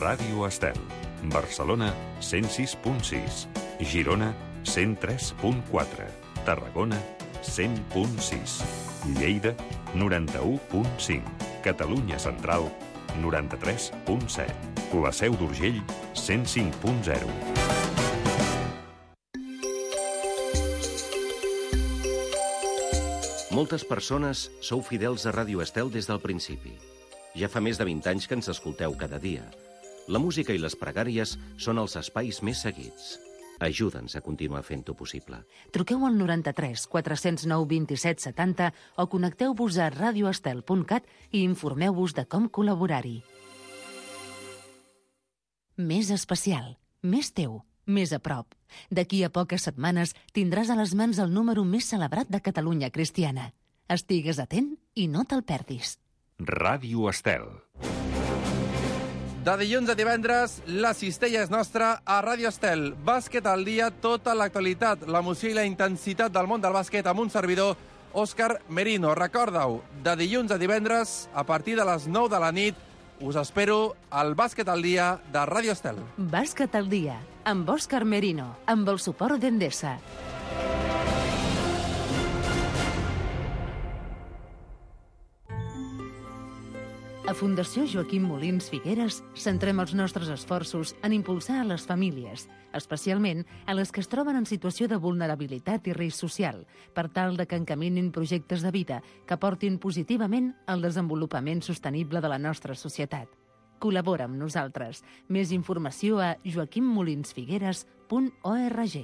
Ràdio Estel. Barcelona, 106.6. Girona, 103.4. Tarragona, 100.6. Lleida, 91.5. Catalunya Central, 93.7. La Seu d'Urgell, 105.0. Moltes persones sou fidels a Ràdio Estel des del principi. Ja fa més de 20 anys que ens escolteu cada dia. La música i les pregàries són els espais més seguits. Ajuda'ns a continuar fent-ho possible. Truqueu al 93 409 27 70 o connecteu-vos a radioestel.cat i informeu-vos de com col·laborar-hi. Més especial, més teu, més a prop. D'aquí a poques setmanes tindràs a les mans el número més celebrat de Catalunya cristiana. Estigues atent i no te'l perdis. Ràdio Estel. De dilluns a divendres, la cistella és nostra a Ràdio Estel. Bàsquet al dia, tota l'actualitat, l'emoció i la intensitat del món del bàsquet amb un servidor, Òscar Merino. Recorda-ho, de dilluns a divendres, a partir de les 9 de la nit, us espero al Bàsquet al dia de Ràdio Estel. Bàsquet al dia, amb Òscar Merino, amb el suport d'Endesa. A Fundació Joaquim Molins Figueres centrem els nostres esforços en impulsar a les famílies, especialment a les que es troben en situació de vulnerabilitat i risc social, per tal de que encaminin projectes de vida que portin positivament al desenvolupament sostenible de la nostra societat. Col·labora amb nosaltres. Més informació a joaquimmolinsfigueres.org.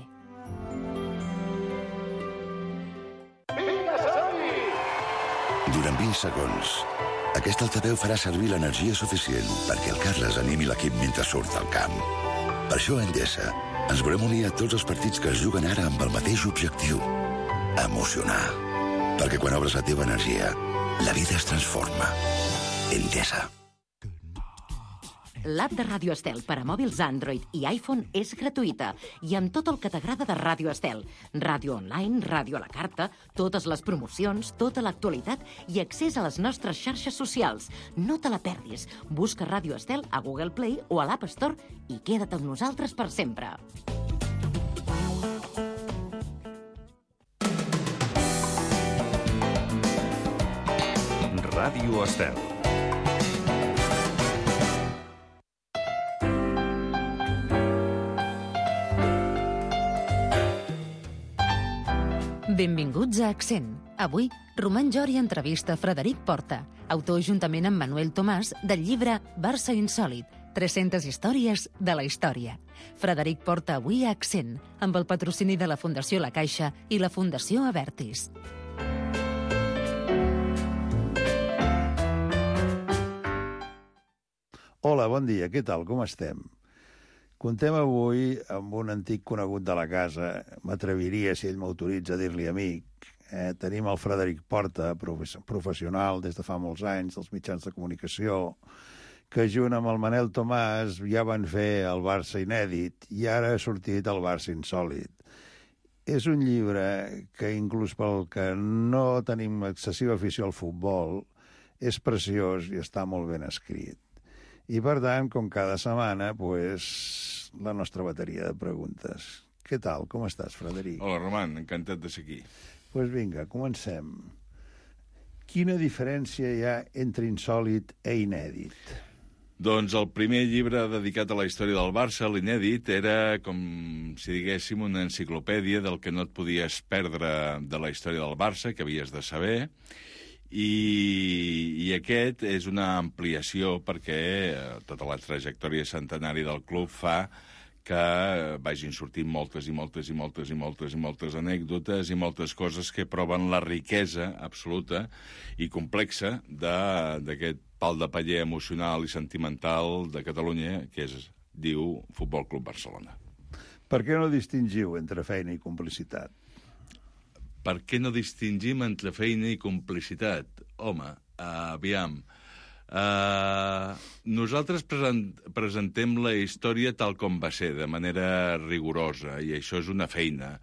Durant 20 segons, aquest altaveu farà servir l'energia suficient perquè el Carles animi l'equip mentre surt al camp. Per això a Endesa ens volem unir a tots els partits que es juguen ara amb el mateix objectiu: emocionar. Perquè quan obres la teva energia, la vida es transforma. Endesa. L'app de Ràdio Estel per a mòbils Android i iPhone és gratuïta i amb tot el que t'agrada de Ràdio Estel. Ràdio online, ràdio a la carta, totes les promocions, tota l'actualitat i accés a les nostres xarxes socials. No te la perdis. Busca Ràdio Estel a Google Play o a l'App Store i queda't amb nosaltres per sempre. Ràdio Estel. Benvinguts a Accent. Avui, Roman Jori entrevista Frederic Porta, autor juntament amb Manuel Tomàs del llibre Barça Insòlit, 300 històries de la història. Frederic Porta avui a Accent, amb el patrocini de la Fundació La Caixa i la Fundació Avertis. Hola, bon dia, què tal, com estem? Contem avui amb un antic conegut de la casa, m'atreviria, si ell m'autoritza, a dir-li amic. Tenim el Frederic Porta, professional des de fa molts anys, dels mitjans de comunicació, que junt amb el Manel Tomàs ja van fer el Barça Inèdit i ara ha sortit el Barça Insòlit. És un llibre que, inclús pel que no tenim excessiva afició al futbol, és preciós i està molt ben escrit. I, per tant, com cada setmana, la nostra bateria de preguntes. Què tal? Com estàs, Frederic? Hola, Roman. Encantat de ser aquí. Doncs vinga, comencem. Quina diferència hi ha entre insòlit i inèdit? Doncs el primer llibre dedicat a la història del Barça, l'Inèdit, era, com si diguéssim, una enciclopèdia del que no et podies perdre de la història del Barça, que havies de saber, i aquest és una ampliació perquè tota la trajectòria centenària del club fa que vagin sortint moltes anècdotes i moltes coses que proven la riquesa absoluta i complexa d'aquest pal de paller emocional i sentimental de Catalunya que es diu Futbol Club Barcelona. Per què no distingiu entre feina i complicitat? Per què no distingim entre feina i complicitat? Home, aviam, Nosaltres presentem la història tal com va ser, de manera rigorosa, i això és una feina.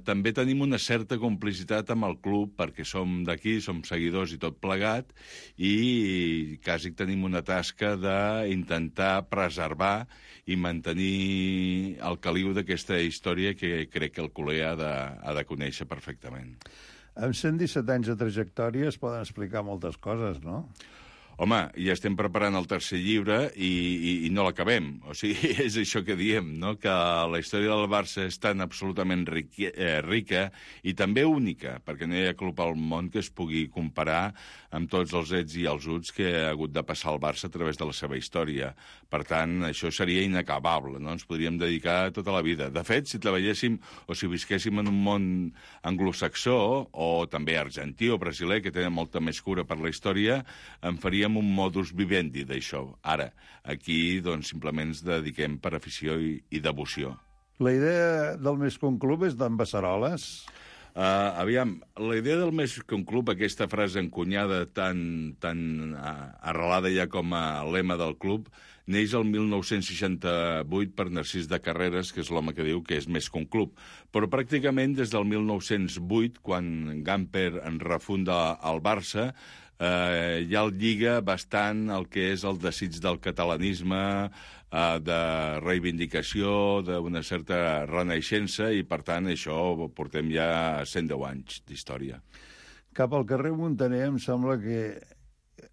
També tenim una certa complicitat amb el club, perquè som d'aquí, som seguidors i tot plegat, i quasi tenim una tasca d'intentar preservar i mantenir el caliu d'aquesta història que crec que el culer ha de conèixer perfectament. Amb 117 anys de trajectòria es poden explicar moltes coses, no? Home, ja estem preparant el tercer llibre i no l'acabem. O sigui, és això que diem, no? Que la història del Barça és tan absolutament rica i també única, perquè no hi ha club al món que es pugui comparar amb tots els ets i els uts que ha hagut de passar el Barça a través de la seva història. Per tant, això seria inacabable, no? Ens podríem dedicar tota la vida. De fet, si treballéssim o si visquéssim en un món anglosaxó o també argentí o brasiler, que tenen molta més cura per la història, en faríem un modus vivendi d'això. Ara, aquí, doncs, simplement ens dediquem per afició i devoció. La idea del Més que un club és d'en Beceroles? Aviam, la idea del Més que un club, aquesta frase encunyada tan arrelada ja com a lema del club, neix el 1968 per Narcís de Carreras, que és l'home que diu que és més que un club. Però pràcticament des del 1908, quan Gamper en refunda el Barça, ja el lliga bastant el que és el desig del catalanisme, de reivindicació, d'una certa renaixença, i per tant això portem ja 110 anys d'història. Cap al carrer Muntaner em sembla que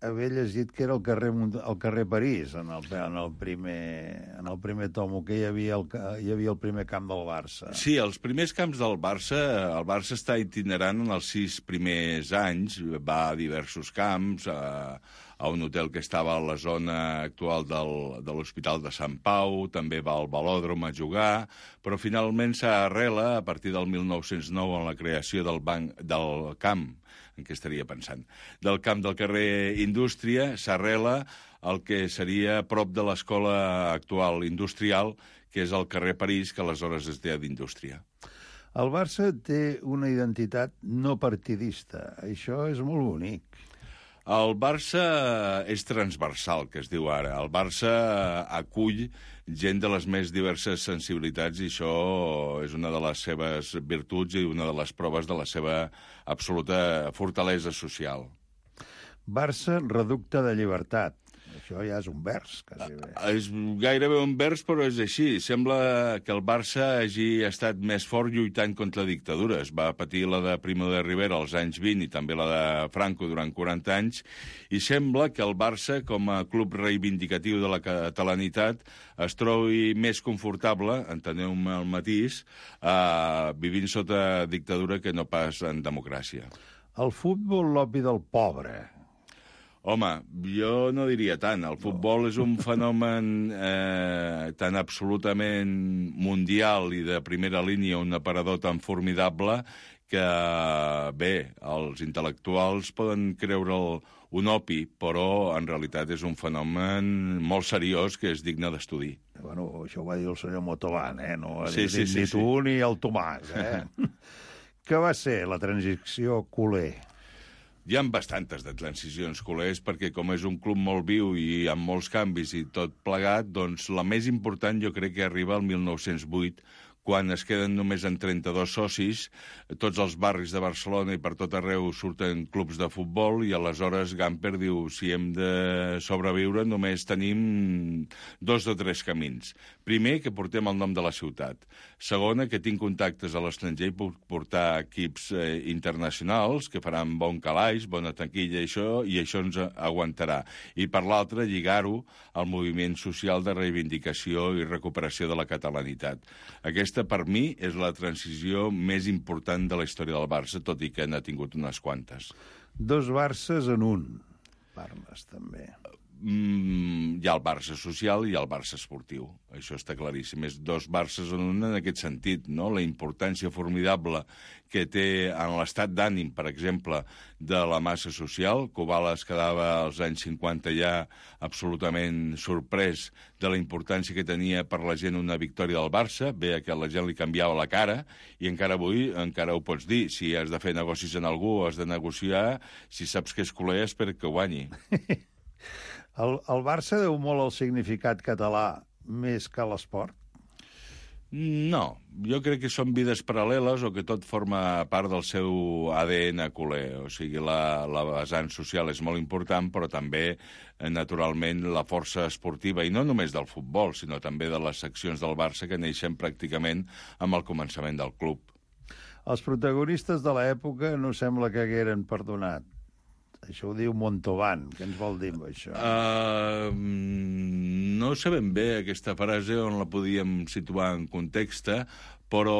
haver llegit que era el carrer París, en el primer tomo, que hi havia el primer camp del Barça. Sí, els primers camps del Barça, el Barça està itinerant en els 6 primers anys, va a diversos camps, a un hotel que estava a la zona actual de l'Hospital de Sant Pau, també va al Velòdrom a jugar, però finalment s'arrela a partir del 1909 en la creació del camp, en què estaria pensant, del camp del carrer Indústria, s'arrela el que seria prop de l'escola actual industrial, que és el carrer París, que aleshores es deia d'Indústria. El Barça té una identitat no partidista. Això és molt bonic. El Barça és transversal, que es diu ara. El Barça acull gent de les més diverses sensibilitats i això és una de les seves virtuts i una de les proves de la seva absoluta fortalesa social. Barça, reducte de llibertat. Això ja és un vers, quasi bé. És gairebé un vers, però és així. Sembla que el Barça hagi estat més fort lluitant contra dictadures. Va patir la de Primo de Rivera als anys 20 i també la de Franco durant 40 anys, i sembla que el Barça, com a club reivindicatiu de la catalanitat, es trobi més confortable, enteneu-me el matís, vivint sota dictadura que no pas en democràcia. El futbol, l'opi del pobre. Home, jo no diria tant. El futbol és un fenomen tan absolutament mundial i de primera línia, un aparador tan formidable que, bé, els intel·lectuals poden creure'l un opi, però en realitat és un fenomen molt seriós que és digne d'estudi. Bueno, això ho va dir el senyor Motolan, No ho ha dit ni tu ni el Tomàs, Què va ser la transició culer? Hi ha bastantes de transicions culers, perquè com és un club molt viu i amb molts canvis i tot plegat, doncs la més important jo crec que arriba al 1908, quan es queden només en 32 socis, tots els barris de Barcelona i per tot arreu surten clubs de futbol, i aleshores Gamper diu, si hem de sobreviure només tenim 2 o 3 camins. Primer, que portem el nom de la ciutat. Segona, que tinc contactes a l'estranger i puc portar equips internacionals que faran bon calaix, bona taquilla, i això ens aguantarà. I per l'altra, lligar-ho al moviment social de reivindicació i recuperació de la catalanitat. Aquesta, per mi, és la transició més important de la història del Barça, tot i que n'ha tingut unes quantes. 2 Barces en un, parles, també. Hi ha el Barça social i el Barça esportiu. Això està claríssim. És 2 Barces en un en aquest sentit, no? La importància formidable que té en l'estat d'ànim, per exemple, de la massa social. Kubala es quedava als anys 50 ja absolutament sorprès de la importància que tenia per la gent una victòria del Barça. Bé, que la gent li canviava la cara, i encara avui encara ho pots dir. Si has de fer negocis en algú, has de negociar, si saps que és culer, espera que guanyi. El Barça deu molt al significat català més que a l'esport? No, jo crec que són vides paral·leles o que tot forma part del seu ADN culer. O sigui, la vessant social és molt important, però també, naturalment, la força esportiva, i no només del futbol, sinó també de les seccions del Barça que neixen pràcticament amb el començament del club. Els protagonistes de l'època no sembla que hagueren perdonat. Això ho diu Montauban. Què ens vol dir amb això? No sabem bé aquesta frase on la podíem situar en context, però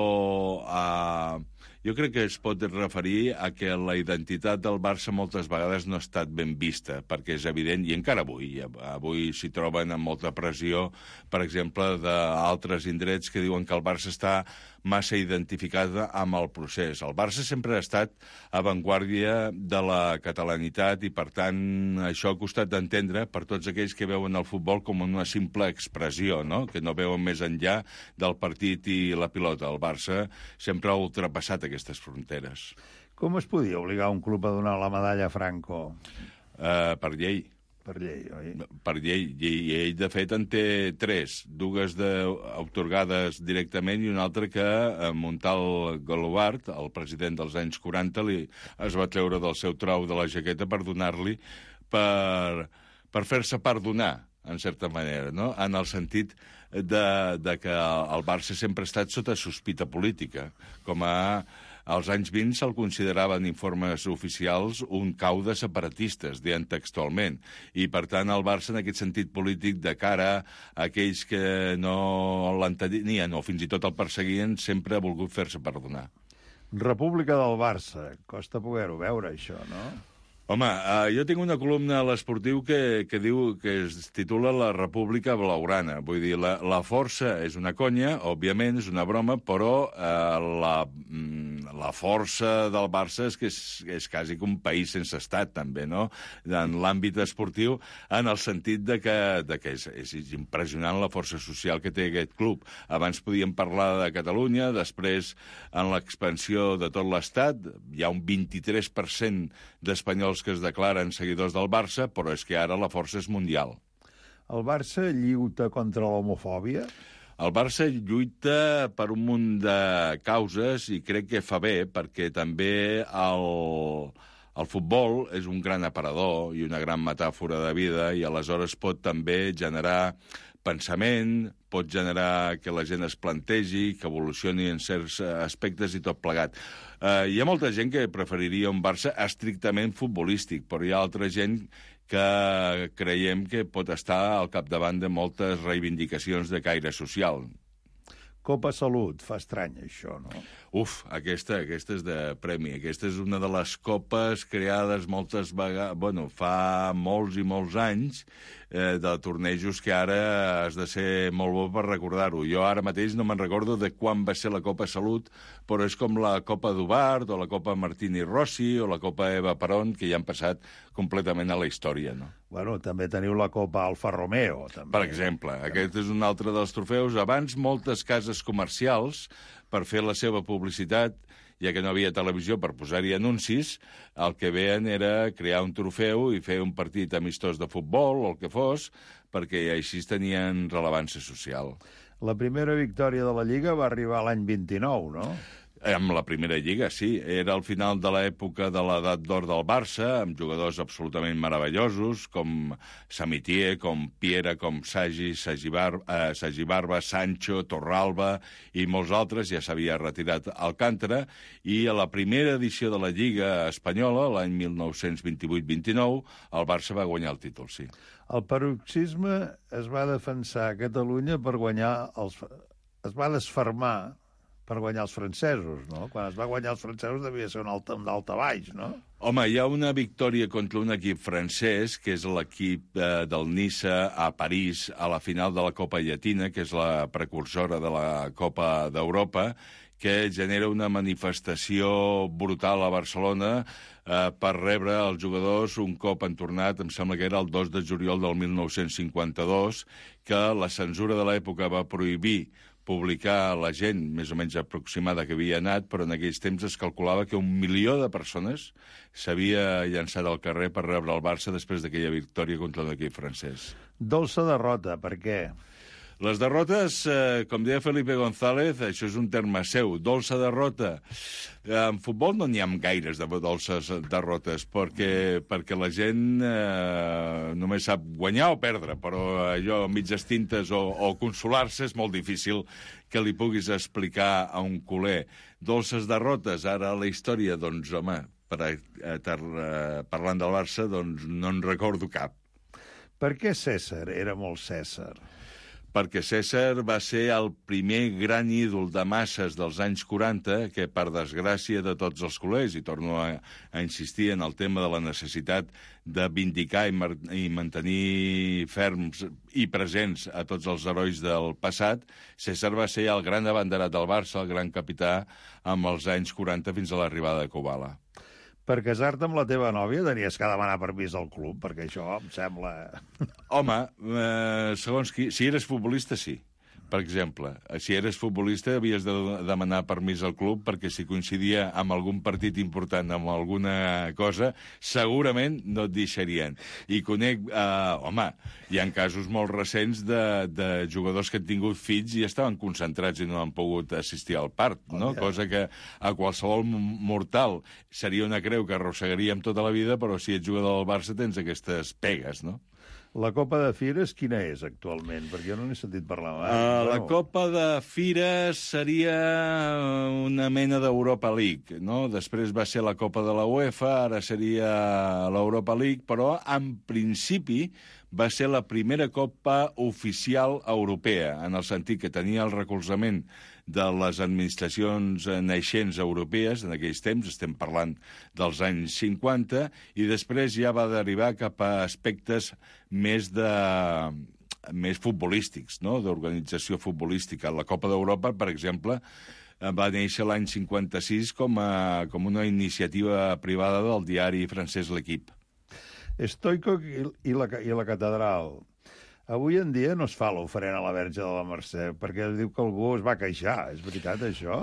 jo crec que es pot referir a que la identitat del Barça moltes vegades no ha estat ben vista, perquè és evident, i encara avui s'hi troben amb molta pressió, per exemple, d'altres indrets que diuen que el Barça està massa identificat amb el procés. El Barça sempre ha estat avantguàrdia de la catalanitat i, per tant, això ha costat d'entendre per tots aquells que veuen el futbol com una simple expressió, no? Que no veuen més enllà del partit i la pilota. El Barça sempre ha ultrapassat aquestes fronteres. Com es podia obligar un club a donar la medalla a Franco? Per llei. Per llei, oi? Per llei. I ell, de fet, en té 3. 2 atorgades directament i una altra que Montal Golobart, el president dels anys 40, es va treure del seu trau de la jaqueta per donar-li per fer-se perdonar, en certa manera, no? En el sentit de que el Barça sempre ha estat sota sospita política, com als anys 20 se'l consideraven informes oficials un cau de separatistes, deien textualment. I, per tant, el Barça, en aquest sentit polític, de cara a aquells que no l'entenien o fins i tot el perseguien, sempre ha volgut fer-se perdonar. República del Barça. Costa poder-ho veure, això, no? Home, jo tinc una columna a l'Esportiu que diu que es titula La República Blaugrana. Vull dir, la força és una conya, òbviament, és una broma, però la força del Barça és que és quasi que un país sense estat, també, no? En l'àmbit esportiu, en el sentit de que és impressionant la força social que té aquest club. Abans podíem parlar de Catalunya, després, en l'expansió de tot l'Estat, hi ha un 23% d'espanyols que es declaren seguidors del Barça, però és que ara la força és mundial. El Barça lluita contra l'homofòbia? El Barça lluita per un munt de causes i crec que fa bé, perquè també el futbol és un gran aparador i una gran metàfora de vida i aleshores pot també generar pensament, pot generar que la gent es plantegi, que evolucioni en certs aspectes i tot plegat. Hi ha molta gent que preferiria un Barça estrictament futbolístic, però hi ha altra gent que creiem que pot estar al capdavant de moltes reivindicacions de caire social. Copa Salut, fa estrany això, no? Aquesta és de premi. Aquesta és una de les copes creades moltes vegades, fa molts i molts anys, de tornejos que ara has de ser molt bo per recordar-ho. Jo ara mateix no me'n recordo de quan va ser la Copa Salut, però és com la Copa Dubart, o la Copa Martini Rossi, o la Copa Eva Perón, que ja han passat completament a la història, no? Bueno, també teniu la Copa Alfa Romeo, també. Per exemple, aquest és un altre dels trofeus. Abans, moltes cases comercials, per fer la seva publicitat, ja que no havia televisió per posar-hi anuncis, el que veien era crear un trofeu i fer un partit amistós de futbol o el que fos, perquè així tenien rellevància social. La primera victòria de la Lliga va arribar l'any 29, no? Amb la primera lliga, sí. Era al final de l'època de l'edat d'or del Barça, amb jugadors absolutament meravellosos, com Samitier, com Piera, com Sagibarba, Sancho, Torralba i molts altres. Ja s'havia retirat Alcántara. I a la primera edició de la Lliga espanyola, l'any 1928-29, el Barça va guanyar el títol, sí. El paroxisme es va defensar a Catalunya per guanyar es va desfermar per guanyar els francesos, no? Quan es va guanyar els francesos devia ser un daltabaix, no? Home, hi ha una victòria contra un equip francès, que és l'equip del Niça a París, a la final de la Copa Llatina, que és la precursora de la Copa d'Europa, que genera una manifestació brutal a Barcelona per rebre els jugadors un cop han tornat, em sembla que era el 2 de juliol del 1952, que la censura de l'època va prohibir publicar la gent més o menys aproximada que havia anat, però en aquells temps es calculava que 1 milió de persones s'havia llançat al carrer per rebre el Barça després d'aquella victòria contra l'equip francès. Dolça derrota, per què? Les derrotes, com deia Felipe González, això és un terme seu, dolça derrota. En futbol no n'hi ha gaires de dolces derrotes, perquè la gent només sap guanyar o perdre, però allò, mitges tintes o consolar-se és molt difícil que li puguis explicar a un culer. Dolces derrotes, ara a la història, doncs, home, parlant del Barça, doncs no en recordo cap. Per què César era molt César? Perquè César va ser el primer gran ídol de masses dels anys 40 que, per desgràcia de tots els culers, i torno a insistir en el tema de la necessitat de vindicar i mantenir ferms i presents a tots els herois del passat, César va ser el gran abanderat del Barça, el gran capità, amb els anys 40 fins a l'arribada de Kubala. Per casar-te amb la teva nòvia tenies que demanar permís al club, perquè això em sembla... Home, segons qui... Si eres futbolista, sí. Per exemple, si eres futbolista havies de demanar permís al club perquè si coincidia amb algun partit important, amb alguna cosa, segurament no et deixarien. I conec... home, hi ha casos molt recents de jugadors que han tingut fills i estaven concentrats i no han pogut assistir al part, no? Cosa que a qualsevol mortal seria una creu que arrossegaríem tota la vida, però si ets jugador del Barça tens aquestes pegues, no? La Copa de Fires quina és actualment? Perquè jo no n'he sentit parlar mai. La Copa de Fires seria una mena d'Europa League, no? Després va ser la Copa de la UEFA, ara seria l'Europa League, però en principi va ser la primera Copa oficial europea, en el sentit que tenia el recolzament de les administracions naixents europees, en aquells temps, estem parlant dels anys 50, i després ja va derivar cap a aspectes més futbolístics, no? D'organització futbolística. La Copa d'Europa, per exemple, va néixer l'any 56 com una iniciativa privada del diari francès L'Equipe. Stoico i la catedral. Avui en dia no es fa l'oferent a la Verge de la Mercè, perquè diu que algú es va queixar. És veritat, això?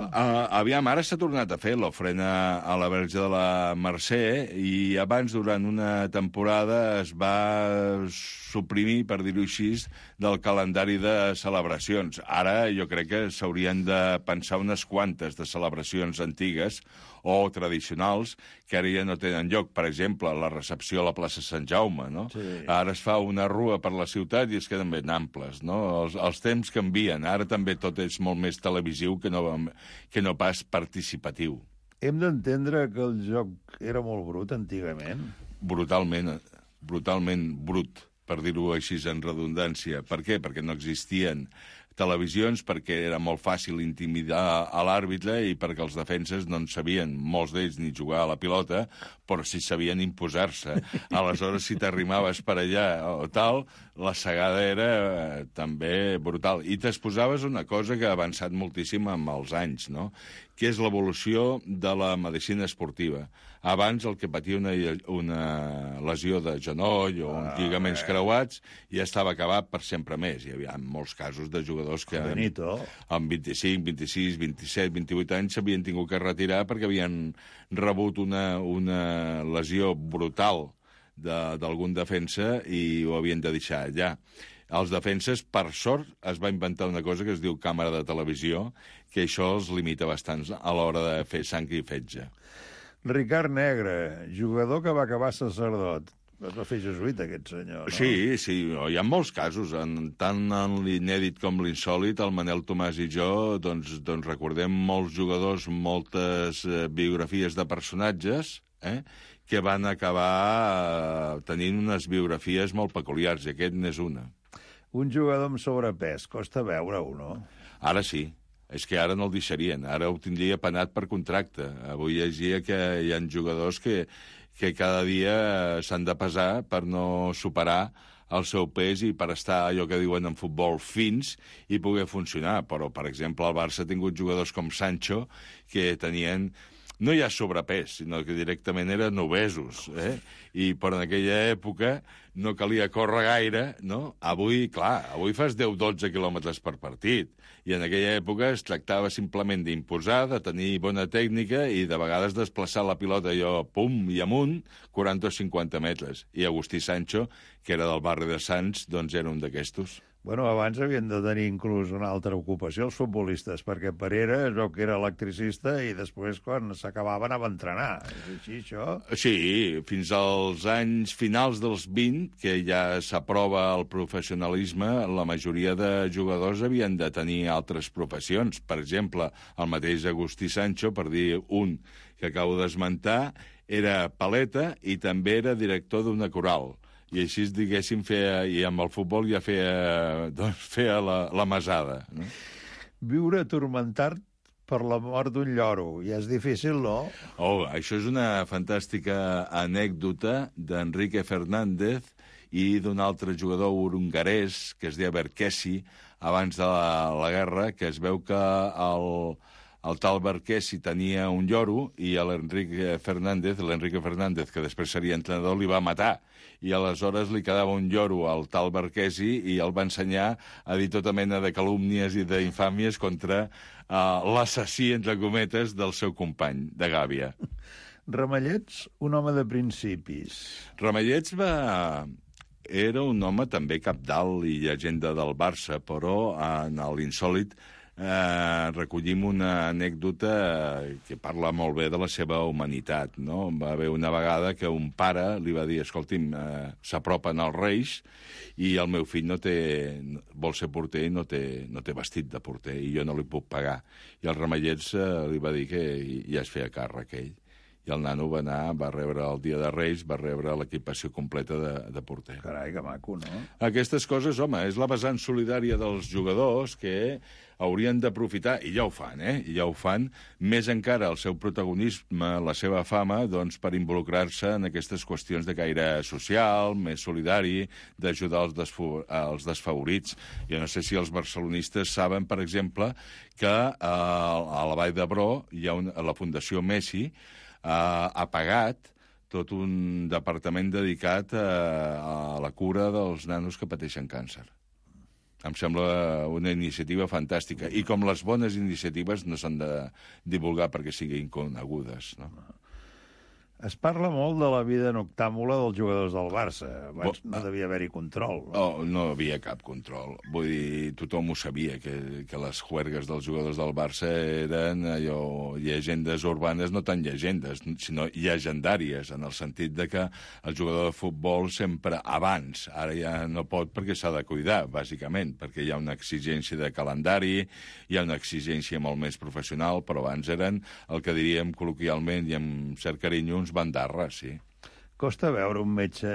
Aviam, ara s'ha tornat a fer l'ofrena a la Verge de la Mercè i abans, durant una temporada, es va suprimir, per dir-ho així, del calendari de celebracions. Ara jo crec que s'haurien de pensar unes quantes de celebracions antigues o tradicionals que ara ja no tenen lloc. Per exemple, la recepció a la plaça Sant Jaume, no? Sí. Ara es fa una rua per la ciutat i es queden ben amples, no? Els temps canvien. Ara també tot és molt més televisiu que no pas participatiu. Hem d'entendre que el joc era molt brut antigament? Brutalment brut, per dir-ho així en redundància. Per què? Perquè no existien televisions, perquè era molt fàcil intimidar a l'àrbitre i perquè els defenses no en sabien, molts d'ells, ni jugar a la pilota, però sí sabien imposar-se. Aleshores, si t'arrimaves per allà o tal, la segada era també brutal. I t'exposaves una cosa que ha avançat moltíssim amb els anys, no? Que és l'evolució de la medicina esportiva. Abans el que patia una lesió de genoll o uns lligaments creuats ja estava acabat per sempre més. Hi havia molts casos de jugadors que amb 25, 26, 27, 28 anys s'havien tingut que retirar perquè havien rebut una lesió brutal d'algun defensa i ho havien de deixar allà. Els defenses, per sort, es va inventar una cosa que es diu càmera de televisió, que això els limita bastant a l'hora de fer sang i fetge. Ricard Negre, jugador que va acabar sacerdot. Es va fer jesuïta, aquest senyor, no? Sí, hi ha molts casos. Tant en l'inèdit com l'insòlit, el Manel Tomàs i jo, doncs recordem molts jugadors, moltes biografies de personatges, que van acabar tenint unes biografies molt peculiars, i aquest n'és una. Un jugador amb sobrepès, costa veure-ho, no? Ara sí. És que ara no el deixarien. Ara ho tindria penat per contracte. Avui llegia que hi ha jugadors que cada dia s'han de pesar per no superar el seu pes i per estar, allò que diuen en futbol, fins i poder funcionar. Però, per exemple, el Barça ha tingut jugadors com Sancho que tenien no hi ha sobrepès, sinó que directament eren obesos, però en aquella època no calia córrer gaire, no? Avui fas 10-12 quilòmetres per partit, i en aquella època es tractava simplement d'imposar, de tenir bona tècnica i de vegades desplaçar la pilota allò, pum, i amunt, 40 o 50 metres. I Agustí Sancho, que era del barri de Sants, doncs era un d'aquestos. Bueno, abans havien de tenir inclús una altra ocupació els futbolistes, perquè Parera es veu que era electricista i després, quan s'acabava, anava a entrenar. És així, això? Sí, fins als anys finals dels 20, que ja s'aprova el professionalisme, la majoria de jugadors havien de tenir altres professions. Per exemple, el mateix Agustí Sancho, per dir un que acabo d'esmentar, era paleta i també era director d'una coral. I així, diguéssim, i amb el futbol ja feia la mesada. No? Viure atormentat per la mort d'un lloro. Ja és difícil, no? Oh, això és una fantàstica anècdota d'Enrique Fernández i d'un altre jugador hongarès que es deia Berkesi, abans de la guerra, que es veu que el tal Berkesi tenia un lloro i l'Enrique Fernández, que després seria entrenador, li va matar. I aleshores li quedava un lloro al tal Berkesi i el va ensenyar a dir tota mena de calúmnies i d'infàmies contra l'assassí, entre cometes, del seu company de gàbia. Ramallets, un home de principis. Ramallets era un home també cabdal i llegenda del Barça, però en l'insòlit recollim una anècdota que parla molt bé de la seva humanitat, no? Va haver una vegada que un pare li va dir: escolti'm, s'apropen els Reis i el meu fill vol ser porter i no té vestit de porter i jo no li puc pagar. I el Ramallets li va dir que ja es feia càrrec ell. I el nano va rebre el dia de Reis, va rebre l'equipació completa de porter. Carai, que maco, no? Aquestes coses, home, és la vessant solidària dels jugadors que haurien d'aprofitar, i ja ho fan, i ja ho fan, més encara el seu protagonisme, la seva fama, doncs, per involucrar-se en aquestes qüestions de caire social, més solidari, d'ajudar els desfavorits. Jo no sé si els barcelonistes saben, per exemple, que a la Vall d'Hebron hi ha la Fundació Messi, ha pagat tot un departament dedicat a la cura dels nanos que pateixen càncer. Em sembla una iniciativa fantàstica. I com les bones iniciatives no s'han de divulgar perquè siguin conegudes, no? Es parla molt de la vida noctàmbula dels jugadors del Barça. Abans no devia haver-hi control. No havia cap control. Vull dir, tothom ho sabia, que les juergues dels jugadors del Barça eren llegendes urbanes, no tant llegendes, sinó llegendàries, en el sentit de que el jugador de futbol sempre abans, ara ja no pot perquè s'ha de cuidar, bàsicament, perquè hi ha una exigència de calendari, hi ha una exigència molt més professional, però abans eren el que diríem col·loquialment i amb cert carinyo uns bandarres, sí. Costa veure un metge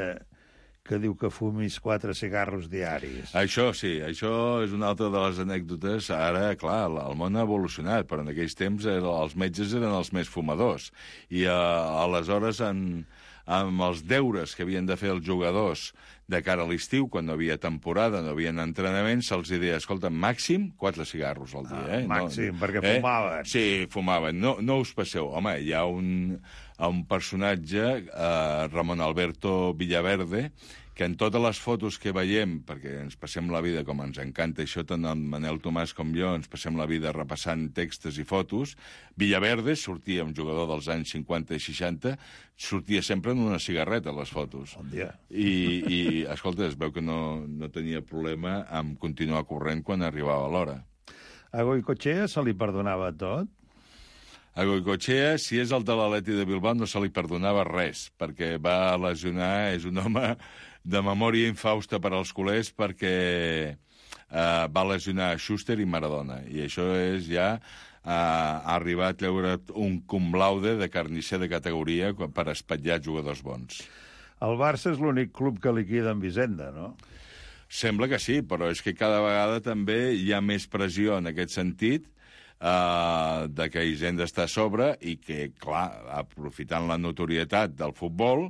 que diu que fumis 4 cigarros diaris. Això sí, això és una altra de les anècdotes. Ara, clar, el món ha evolucionat, però en aquells temps els metges eren els més fumadors. I aleshores, amb els deures que havien de fer els jugadors de cara a l'estiu, quan no havia temporada, no havia entrenament, se'ls deia, escolta, màxim 4 cigarros al dia. Màxim, perquè fumaven. Sí, fumaven. No us passeu. Home, hi ha un personatge, Ramon Alberto Villaverde, que en totes les fotos que veiem, perquè ens passem la vida, com ens encanta això, tant en Manel Tomàs com jo, ens passem la vida repassant textos i fotos, Villaverde sortia, un jugador dels anys 50 i 60, sortia sempre en una cigarreta, les fotos. Bon dia. I escolta, es veu que no tenia problema amb continuar corrent quan arribava l'hora. A Goicoechea se li perdonava tot? A Goicoechea, si és el de l'Atleti de Bilbao, no se li perdonava res, perquè va lesionar, és un home de memòria infausta per als culers, perquè va lesionar Schuster i Maradona, i això és ja arribar a treure un cum laude de carnisser de categoria per espatllar jugadors bons. El Barça és l'únic club que liquida amb Hisenda, no? Sembla que sí, però és que cada vegada també hi ha més pressió en aquest sentit, de que Hisenda està a sobre i que, clar, aprofitant la notorietat del futbol,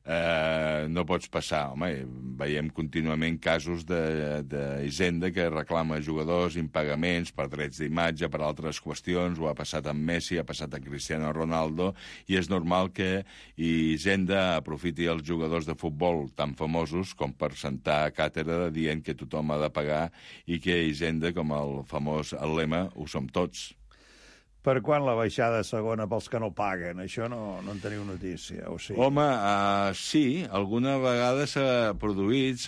no pots passar. Home, veiem contínuament casos d'Hisenda que reclama jugadors impagaments per drets d'imatge, per altres qüestions. Ho ha passat amb Messi, ha passat amb Cristiano Ronaldo, i és normal que Hisenda aprofiti els jugadors de futbol tan famosos com per sentar a càtedra dient que tothom ha de pagar i que Hisenda, com el famós lema, ho som tots. Per quan la baixada segona pels que no paguen? Això no en teniu notícia, o sí? Home, sí, alguna vegada s'ha produït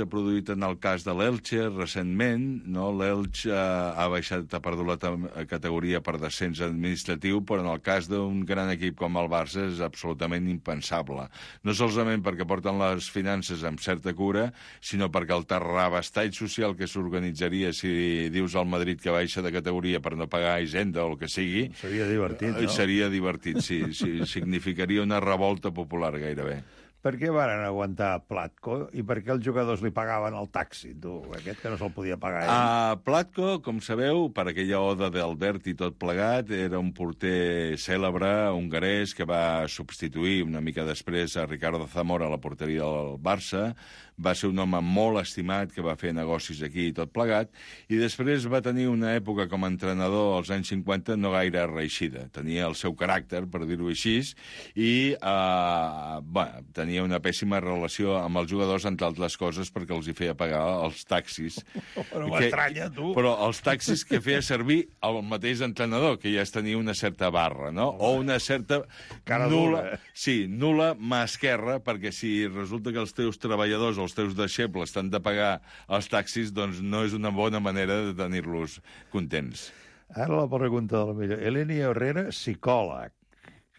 en el cas de l'Elche recentment, no? L'Elche ha baixat, ha perdut la categoria per descens administratiu, però en el cas d'un gran equip com el Barça és absolutament impensable. No solament perquè porten les finances amb certa cura, sinó perquè el terrabastall social que s'organitzaria si dius al Madrid que baixa de categoria per no pagar Hisenda o el que sigui... Seria divertit, no? Seria divertit, sí. Significaria una revolta popular, gairebé. Per què varen aguantar Platko i per què els jugadors li pagaven el taxi, tu? Aquest que no se'l podia pagar ell. Platko, com sabeu, per aquella oda d'Albert i tot plegat, era un porter cèlebre, hongarès, que va substituir una mica després a Ricardo Zamora a la porteria del Barça. Va ser un home molt estimat que va fer negocis aquí i tot plegat, i després va tenir una època com a entrenador als anys 50 no gaire reeixida. Tenia el seu caràcter, per dir-ho així, i tenia una pèssima relació amb els jugadors, entre altres coses, perquè els hi feia pagar els taxis. Però m'estranya, tu. Però els taxis que feia servir el mateix entrenador, que ja es tenia una certa barra, no? O una certa nul·la mà esquerra, perquè si resulta que els teus treballadors o els teus deixebles t'han de pagar els taxis, doncs no és una bona manera de tenir-los contents. Ara la pregunta de la millor. Eleni Herrera, psicòleg.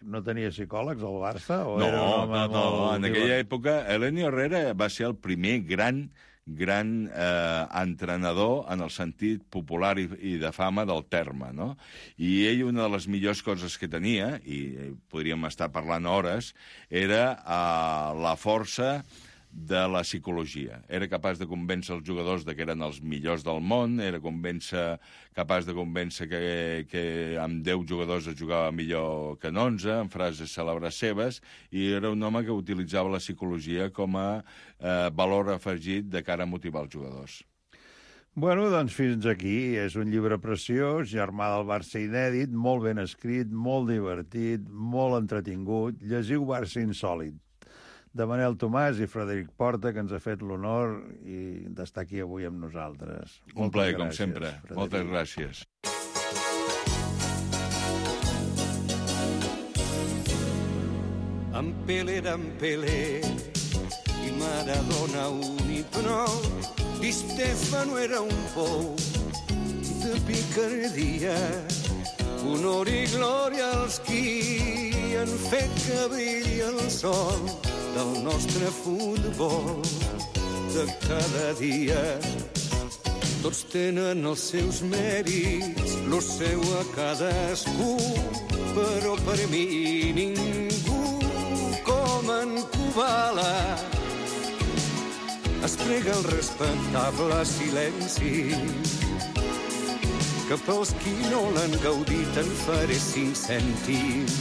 No tenia psicòlegs al Barça? No. En aquella època, Eleni Herrera va ser el primer gran entrenador en el sentit popular i de fama del terme, no? I ell, una de les millors coses que tenia, i podríem estar parlant hores, era la força de la psicologia. Era capaç de convèncer els jugadors de que eren els millors del món, era capaç de convèncer que amb 10 jugadors es jugava millor que en 11, amb frases cèlebres seves, i era un home que utilitzava la psicologia com a valor afegit de cara a motivar els jugadors. Bueno, doncs fins aquí. És un llibre preciós, Germà del Barça inèdit, molt ben escrit, molt divertit, molt entretingut. Llegiu Barça insòlit, de Manel Tomàs i Frederic Porta, que ens ha fet l'honor d'estar aquí avui amb nosaltres. Un plaer, com sempre. Frederic. Moltes gràcies. En Pelé i Maradona un i prou. Di Stefano era un pou de picardia. Honor i glòria als qui han fet que brilli el sol del nostre futbol de cada dia. Tots tenen els seus mèrits, lo seu a cadascú, però per mi ningú com en Kubala. Es prega el respectable silenci, que pels qui no l'han gaudit en faré 5 cèntims.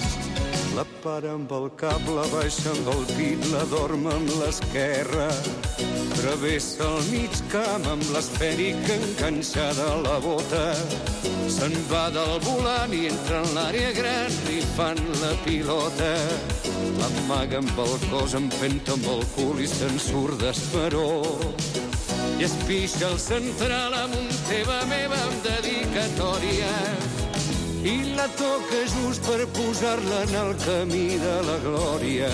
La para amb el cap, la baixa amb el pit, la dorm amb l'esquerra. Travessa el mig camp amb l'esfèrica enganxada a la bota. Se'n va del volant i entra en l'àrea gran rifant la pilota. L'amaga amb el cos, empenta amb el cul i se'n surt d'esperó. I es pixa el central amb un teva meva amb dedicatòria. I la toca just per posar-la en el camí de la glòria.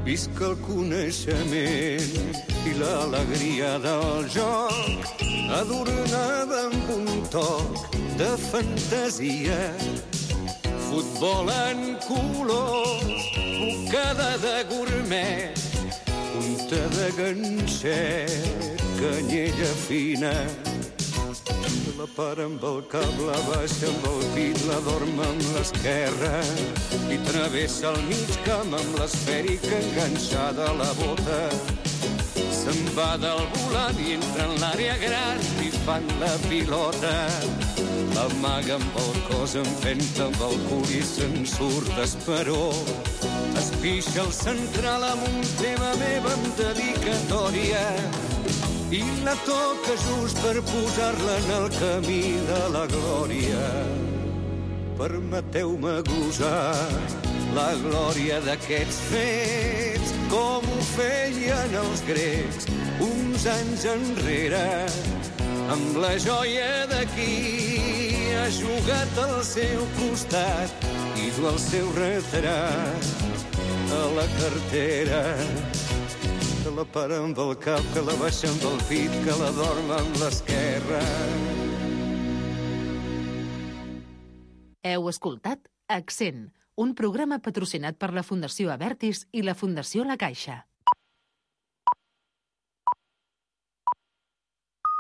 Visca el coneixement i l'alegria del joc, adornada amb un toc de fantasia. Futbol en colors, bocada de gourmet, punta de ganxet, canyella fina. La para amb el cap, la baixa amb el pit, la dorm amb l'esquerra i travessa el mig camp amb l'esfèrica enganxada a la bota. Se'n va del volant i entra en l'àrea gran rifant la pilota. L'amaga amb el cos, empenta amb el cul i se'n surt d'esperó. es pixa el central amb un tema meva amb dedicatòria i la toca just per posar-la en el camí de la glòria. Permeteu-me gosar la glòria d'aquests fets, com ho feien els grecs uns anys enrere, amb la joia de qui ha jugat al seu costat i du el seu retrat a la cartera. Que la para amb el cap, que la baixa amb el pit, que la dorma amb l'esquerra. Heu escoltat Accent, un programa patrocinat per la Fundació Abertis i la Fundació La Caixa.